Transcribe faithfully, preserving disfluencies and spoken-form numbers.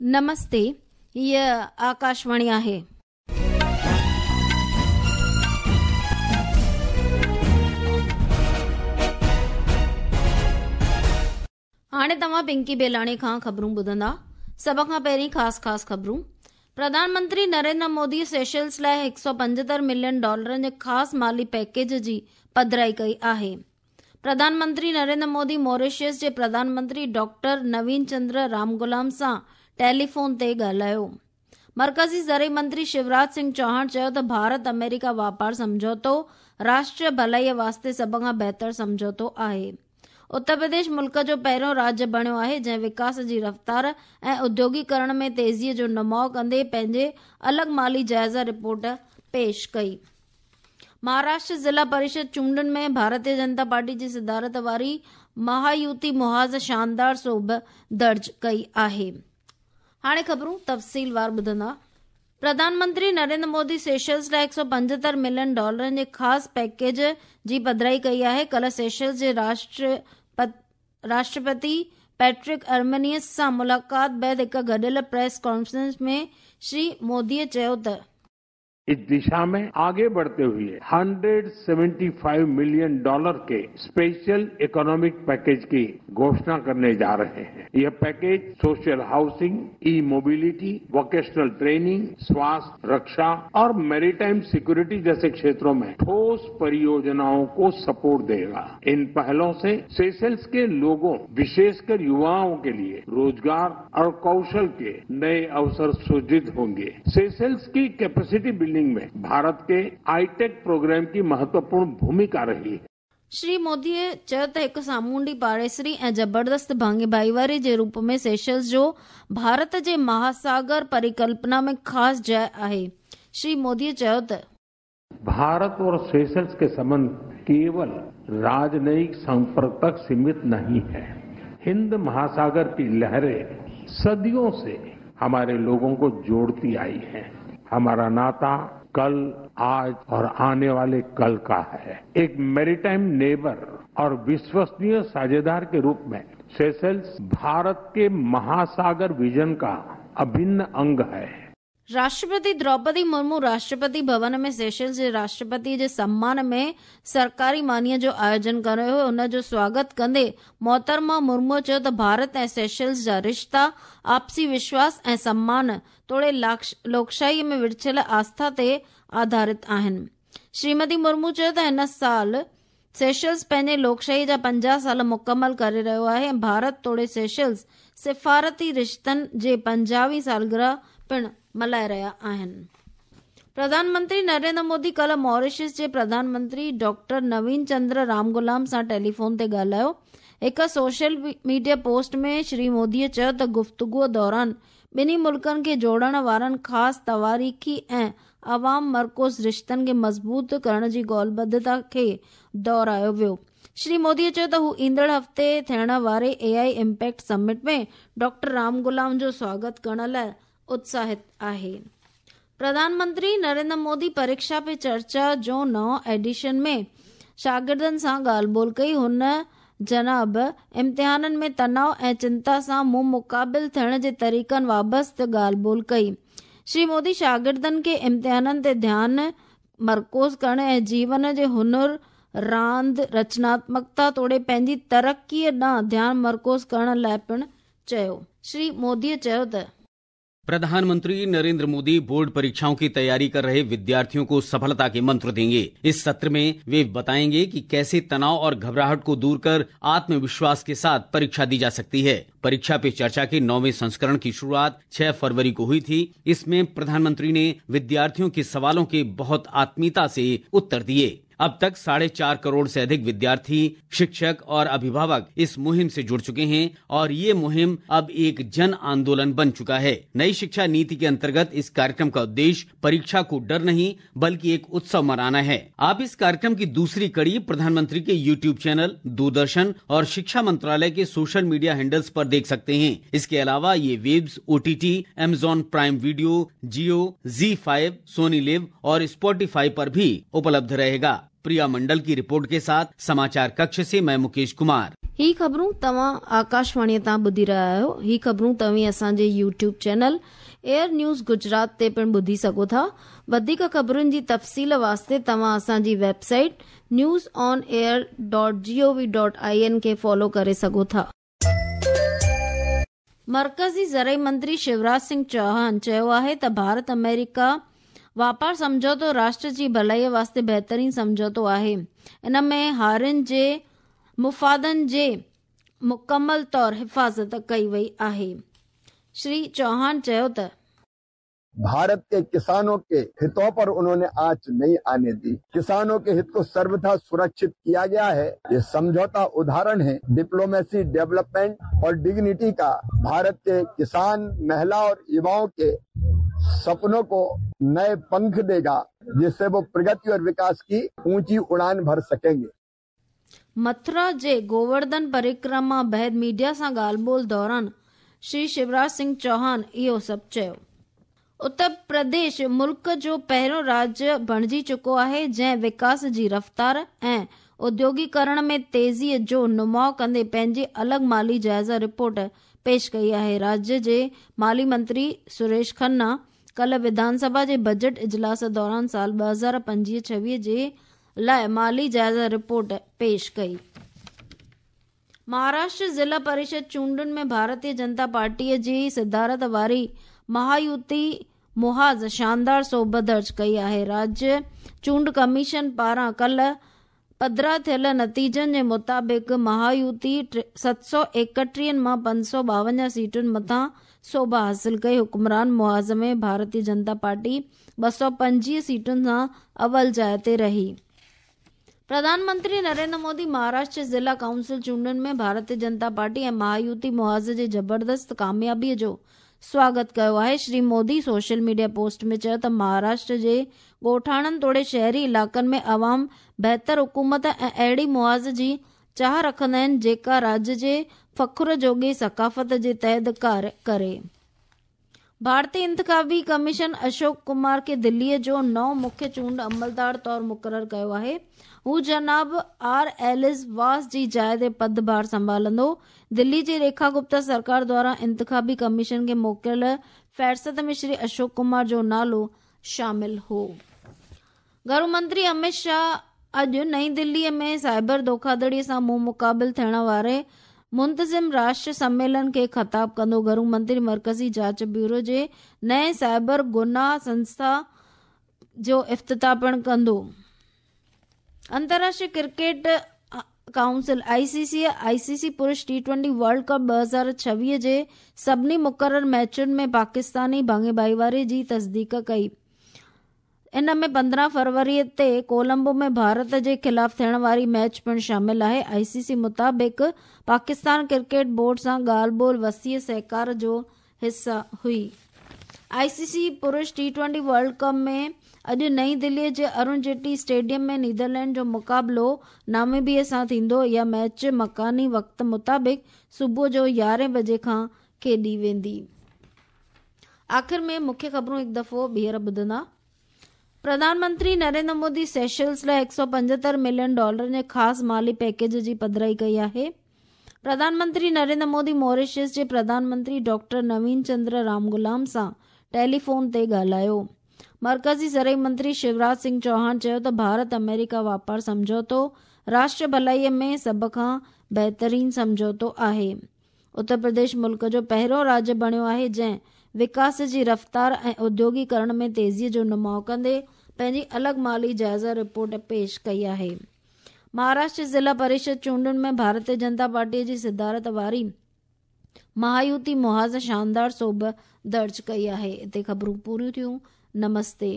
नमस्ते, हीअ आकाशवाणी आहे. हाणे तव्हां पिंकी बेलाणी खां ख़बरूं ॿुधंदा. सभ खां पहिरीं ख़ासि ख़ासि ख़बरूं. प्रधानमंत्री नरेंद्र मोदी सेशल्स लाइ हिकु सौ पंजहतरि मिलियन डॉलरनि जे ख़ासि माली पैकेज जी पधराई कई आहे. प्रधानमंत्री नरेंद्र मोदी मॉरिशस जे प्रधानमंत्री डॉक्टर नवीन चंद्र रामगुलाम सां टेलीफोन ते ॻाल्हायो. मर्कज़ी ज़रई मंत्री शिवराज सिंह चौहान चयो त भारत अमेरिका वापार सम्झौतो राष्ट्रीय भलाईअ वास्ते सभ खां बहितर सम्झौतो आहे. उत्तर प्रदेश मुल्क जो पहिरियों राज्य बणियो आहे जंहिं विकास जी रफ़्तार ऐं उद्योगीकरण में तेज़ीअ जो नुमाउ कंदे पंहिंजे अलॻि माली जाइज़ा रिपोर्ट पेश कई. महाराष्ट्र ज़िला परिषद चूंडुनि में भारतीय जनता पार्टी जी सदारत वारी महायुति मुहाज़ शानदार सोभ दर्ज कई आहे. हाणे ख़बरूं तफ़सीलवार ॿुधंदा. प्रधानमंत्री नरेंद्र मोदी सेशल्स लाइ हिकु सौ पंजहतरि मिलियन डॉलरनि जे ख़ासि पैकेज जी पधराई कई आहे. कल्ह सेशल्स जे राष्ट्र राष्ट्रपति पैट्रिक अर्मेनियस सां मुलाक़ात बाद हिकु गॾियल प्रेस कॉन्फ्रेंस में श्री मोदीअ चयो त इस दिशा में आगे बढ़ते हुए एक सौ पचहत्तर मिलियन डॉलर के स्पेशल इकोनॉमिक पैकेज की घोषणा करने जा रहे हैं. यह package social housing, e mobility, vocational training, स्वास्थ्य, रक्षा और मैरीटाइम सिक्योरिटी जैसे क्षेत्रों में ठोस परियोजनाओं को सपोर्ट देगा. इन पहलों से सेशल्स के लोगों, विशेषकर युवाओं के लिए रोजगार और कौशल के नए अवसर सृजित होंगे. सेशल्स की कैपेसिटी बिल्डिंग में भारत के आईटेक प्रोग्राम की महत्वपूर्ण भूमिका रही है. श्री मोदीअ चयो त हिकु सामुंडी पाड़ेसरी ऐं ज़बरदस्त भाङे भाईवारी जे रूप में सेशल्स जो भारत जे महासागर परिकल्पना में ख़ासि जाइ आहे. श्री मोदीअ चयो त भारत और सेशल्स के संबंध केवल राजनयिक संपर्क तक सीमित नहीं है. हिंद महासागर की लहरें सदियों से हमारे लोगों को जोड़ती आई हैं. हमारा नाता कल, आज और आने वाले कल का है. एक मैरीटाइम नेबर और विश्वसनीय साझेदार के रूप में सेशल्स भारत के महासागर विजन का अभिन्न अंग है. राष्ट्रपति द्रौपदी मुर्मू राष्ट्रपति भवन में सेशल्स जे राष्ट्रपति जे सम्मान में सरकारी मानीअ जो आयोजन कयो हुयो. उन जो स्वागत कंदे मोहतरमा मुर्मूअ चयो त भारत ऐं सेशल्स जा रिश्ता आपसी विश्वास ऐं सम्मान तोड़े लोकशाहीअ में विछियल आस्था ते आधारित आहिनि. श्रीमती मुर्मू चयो त हिन साल सेशल्स पंहिंजे लोकशाही जा पंजाह साल मुकमल करे रहियो आहे ऐं भारत तोड़े सेशल्स सिफारती रिश्तनि जे पंजाहवीं सालगिरह पिणु मल्हाए रहिया आहिनि. प्रधानमंत्री नरेंद्र मोदी कल्ह मॉरिशस जे प्रधानमंत्री डॉक्टर नवीन चंद्र रामगुलाम सां टेलीफोन ते ॻाल्हायो. हिकु सोशल मीडिया पोस्ट में श्री मोदीअ चयो त गुफ्तगूअ दौरान ॿिन्ही मुल्कनि खे जोड़ण वारनि ख़ासि तवारीख़ी ऐं अवाम मरकूज़ रिश्तनि खे मज़बूत करण जी ॻोल्हबद्धता खे दोहरायो वियो. श्री मोदीअ चयो त हू ईंदड़ हफ़्ते थियण वारे A I impact summit में डॉक्टर रामगुलाम जो स्वागत करण लाइ उत्साहित आहे. प्रधानमंत्री नरेंद्र मोदी परीक्षा पे चर्चा जो नओं एडिशन में शागिर्दनि सां ॻाल्हि ॿोल कई. हुन जनाब इम्तिहाननि में तनाव ऐं चिंता सां मुंहुं मुक़ाबिल थियण जे तरीक़नि वाबस्ते ॻाल्हि ॿोल कई. श्री मोदी शागिर्दनि खे इम्तिहाननि ते ध्यानु मरकूज़ करण ऐं जीवन जे हुनर, रांदि, रचनात्मकता तोड़े पंहिंजी तरक़ीअ ॾांहुं ध्यानु मरकूज़ करण लाइ पिणु चयो. श्री मोदीअ चयो त प्रधानमंत्री नरेंद्र मोदी बोर्ड परीक्षाओं की तैयारी कर रहे विद्यार्थियों को सफलता के मंत्र देंगे. इस सत्र में वे बताएंगे कि कैसे तनाव और घबराहट को दूर कर आत्मविश्वास के साथ परीक्षा दी जा सकती है. परीक्षा पे चर्चा के नौवें संस्करण की शुरुआत छह फरवरी को हुई थी. इसमें प्रधानमंत्री ने विद्यार्थियों के सवालों के बहुत आत्मीयता से उत्तर दिए. अब तक साढ़े चार करोड़ से अधिक विद्यार्थी, शिक्षक और अभिभावक इस मुहिम से जुड़ चुके हैं और ये मुहिम अब एक जन आंदोलन बन चुका है. नई शिक्षा नीति के अंतर्गत इस कार्यक्रम का उद्देश्य परीक्षा को डर नहीं बल्कि एक उत्सव मनाना है. आप इस कार्यक्रम की दूसरी कड़ी प्रधानमंत्री के यूट्यूब चैनल, दूरदर्शन और शिक्षा मंत्रालय के सोशल मीडिया हैंडल्स पर देख सकते हैं. इसके अलावा ये waves, O T T, Amazon Prime Video, Jio, Zee five, Sony LIV और स्पॉटिफाई पर भी उपलब्ध रहेगा. प्रिया मंडल की रिपोर्ट के साथ समाचार कक्ष से मैं मुकेश कुमार. ही ख़बरूं तव्हां आकाशवाणीअ तां ॿुधी रहिया आहियो। ही ख़बरूं तव्हीं असांजे YouTube channel Air News Gujarat ते पिणु ॿुधी सघो था। वधीक ख़बरुनि जी तफ़सील वास्ते तव्हां असांजी website news on air dot G O V dot I N खे फॉलो करे सघो था। मर्कज़ी ज़रई मंत्री शिवराज सिंह चौहान चयो आहे त भारत अमेरिका वापार सम्झौतो राष्ट्र जी भलाईअ वास्ते बहितरीन सम्झौतो आहे। इन में हारियुनि जे मुफ़ादनि जे मुकमल तौर हिफ़ाज़त कई वई आहे। श्री चौहान चयो त भारत के किसानों के हितों पर उन्होंने आंच नहीं आने दी। किसानों के हित को सर्वथा सुरक्षित किया गया है। ये समझौता उदाहरण है डिप्लोमेसी, डेवलपमेंट और डिग्निटी का। भारत के किसान, महिला और युवाओं के सपनों को नए पंख देगा, जिससे वो प्रगति और विकास की ऊंची उड़ान भर सकेंगे। मथुरा जे गोवर्धन परिक्रमा बाद मीडिया सां ॻाल्हि ॿोल दौरान श्री शिवराज सिंह चौहान इहो सभु चयो। उत्तर प्रदेश मुल्क जो पहिरियों राज्य बणिजी चुको आहे जंहिं विकास जी रफ़्तार ऐं उद्योगीकरण में तेज़ीअ जो नुमाउ कंदे पंहिंजी अलॻि माली जाइज़ा रिपोर्ट पेश कई आहे। राज्य जे माली मंत्री सुरेश खन्ना कल विधानसभा जे बजट इजलास दौरान साल ॿ हज़ार पंजवीह छवीह जे लाइ माली जाइज़ा रिपोर्ट पेश कई। महाराष्ट्र ज़िला परिषद चूंडुनि में भारतीय जनता पार्टीअ जी सदारत वारी महायुति मुहाज़ शानदार सोभ दर्ज कई आहे। राज्य चूंड कमीशन पारां कल पधरा थियल नतीजनि जे मुताबिक़ महायुति सत सौ एकटीहनि मां पंज सौ ॿावंजाह सीटुनि मथां सोभ हासिल कई। हुक्मरान मुहाज़ में भारतीय जनता पार्टी ॿ सौ पंजवीह सीटुनि सां अवल जाइ ते रही। प्रधानमंत्री नरेंद्र मोदी महाराष्ट्र ज़िला काउंसिल चूंडुनि में भारतीय जनता पार्टी ऐं महायुति मुहाज़ जे ज़बरदस्त कामयाबीअ जो स्वागत कयो आहे। Shri Modi social media post में चयो त महाराष्ट्र जे ॻोठाणनि तोड़े शहरी इलाइक़नि में अवाम बहितर हुकूमत ऐं अहिड़ी मुआज़ जी चाह रखंदा आहिनि जेका राज्य जे फ़ख्र जोॻी सकाफ़त जे तहत कार्य करे। भारतीय इंतखाबी कमीशन अशोक कुमार खे दिल्लीअ जो नओं मुख्य चूंड अमलदार तौर मुक़ररु कयो आहे। हू जनाब आर एलिस वास जी जाइ ते पदभार संभालंदो। दिल्ली जी रेखा गुप्ता सरकार द्वारा इंतखाबी कमीशन खे मोकिलियल फ़हरिस्त में श्री अशोक कुमार जो नालो शामिल हो। घरू मंत्री अमित शाह अॼु नई दिल्लीअ में साइबर धोखाधड़ीअ सां मुंहुं मुक़ाबिल थियण वारे मुंतज़िम राष्ट्र सम्मेलन खे ख़िताब कंदो। घरू मंत्री मर्कज़ी जांच ब्यूरो जे नए साइबर गुनाह संस्था जो इफ्तिताह पिणु कंदो। अंतर्राष्ट्रीय क्रिकेट काउंसिल आईसीसी आईसीसी पुरुष टी ट्वेंटी वर्ल्ड कप ॿ हज़ार छवीह जे सभिनी मुक़ररु मैचुनि में पाकिस्तानी भाङे भाईवारी जी तस्दीक कई। इन में पंद्रहं फरवरी ते कोलंबो में भारत जे ख़िलाफ़ थियण वारी मैच पिणु शामिल आहे। आईसीसी मुताबिक़ पाकिस्तान क्रिकेट बोर्ड सां ॻाल्हि ॿोल वसीअ सहकार जो हिस्सा हुई। आईसीसी पुरुष टी ट्वेंटी वर्ल्ड कप में अॼु नई दिल्लीअ जे अरुण जेटली स्टेडियम में नीदरलैंड जो मुक़ाबिलो नामीबिया सां थींदो। इहा मैच मकानी वक़्त मुताबिक़ सुबुह जो यारहें बजे खां खेॾी वेंदी। आख़िर में मुख्य ख़बरूं हिकु दफ़ो ॿीहर ॿुधंदा। प्रधानमंत्री नरेंद्र मोदी सेशल्स लाइ हिकु सौ पंजहतरि मिलियन डॉलर जे ख़ासि माली पैकेज जी पधराई कई आहे। प्रधानमंत्री नरेंद्र मोदी मॉरिशस जे प्रधानमंत्री डॉक्टर नवीन चंद्र रामगुलाम सां टेलीफोन ते ॻाल्हायो। मर्कज़ी ज़रई मंत्री शिवराज सिंह चौहान चयो त भारत अमेरिका वापार सम्झौतो राष्ट्र भलाईअ में सभ खां बहितरीन सम्झौतो आहे। उत्तर प्रदेश मुल्क जो पहिरियों राज्य बणियो आहे जंहिं विकास जी रफ़्तार ऐं उद्योगीकरण में तेज़ीअ जो नुमाउ कंदे पंहिंजी अलॻि माली जाइज़ा रिपोर्ट पेश कई आहे। महाराष्ट्र ज़िला परिषद चूंडुनि में भारतीय जनता पार्टीअ जी सदारत वारी महायुति मुहाज़ शानदार सोभ दर्ज कई आहे। हिते ख़बरूं पूरियूं थियूं। नमस्ते।